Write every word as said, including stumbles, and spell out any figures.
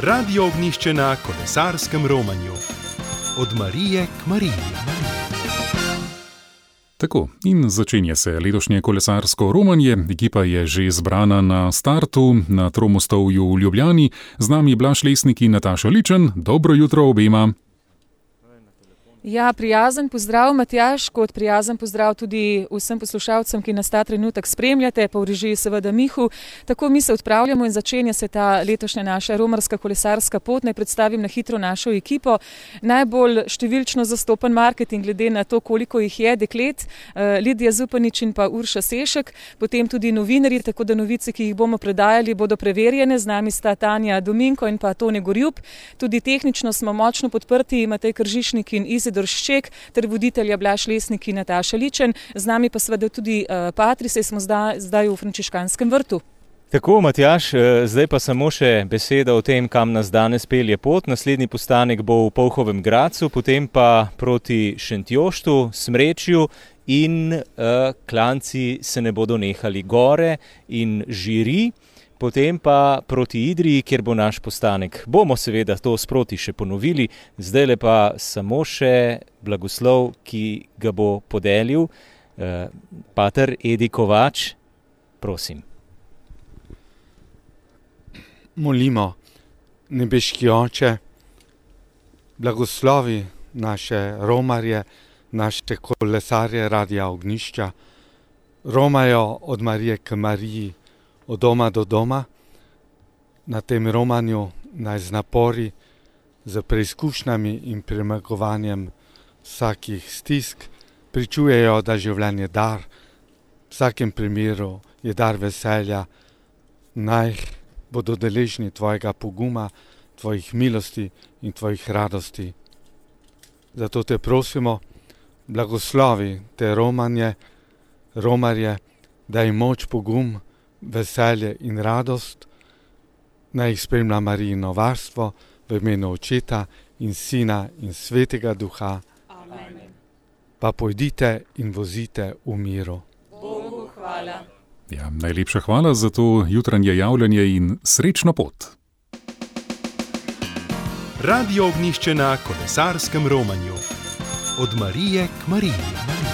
Radio Ognjišče na kolesarskem romanju. Od Marije k Mariji. Tako, in začenja se letošnje kolesarsko romanje. Ekipa je že zbrana na startu na Tromostovju v Ljubljani. Z nami Blaž Lesnik in Nataša Ličen. Dobro jutro obema. Ja, prijazen pozdrav, Matjaž, kot prijazen pozdrav tudi vsem poslušalcem, ki nas ta trenutek spremljate, pa v režiji seveda Mihu. Tako mi se odpravljamo in začenja se ta letošnja naša romarska kolesarska pot. Naj predstavim na hitro našo ekipo. Najbolj številčno zastopan marketing, glede na to, koliko jih je deklet, Lidija Zupanič in pa Urša Sešek, potem tudi novinarji, tako da novice, ki jih bomo predajali, bodo preverjene. Z nami sta Tanja Dominko in pa Tone Gorjup. Tudi tehnično smo močno podprti, Matej Kržišnik in Izidor Šček, ter voditelja Blaž Lesnik in Nataša Ličen. Z nami pa seveda tudi uh, Patri, saj smo zdaj, zdaj v Frančiškanskem vrtu. Tako, Matjaž, zdaj pa samo še beseda o tem, kam nas danes pelje pot. Naslednji postanek bo v Polhovem Gradcu, potem pa proti Šentjoštu, Smrečju in uh, klanci se ne bodo nehali, gore in Žiri. Potem pa proti Idriji, kjer bo naš postanek. Bomo seveda to sproti še ponovili, zdaj le pa samo še blagoslov, ki ga bo podelil eh, pater Edi Kovač. Prosim. Molimo, nebeški Oče, blagoslovi naše romarje, naše kolesarje Radia Ognjišča, romajo od Marije k Mariji, od doma do doma. Na tem romanju naj z napori, z preizkušnjami in premagovanjem vsakih stisk pričujejo, da življenje dar, v vsakem primeru je dar veselja, naj bodo deležni tvojega poguma, tvojih milosti in tvojih radosti. Zato te prosimo, blagoslovi te romanje, romarje, daj moč, pogum, veselje in radost, naj jih spremlja Marijino varstvo v imenu Očeta in Sina in Svetega Duha. Amen. Pa pojdite in vozite v miru. Bogu hvala. Ja, najlepša hvala za to jutranje javljanje in srečno pot. Radio Ognjišče na kolesarskem romanju. Od Marije k Mariji.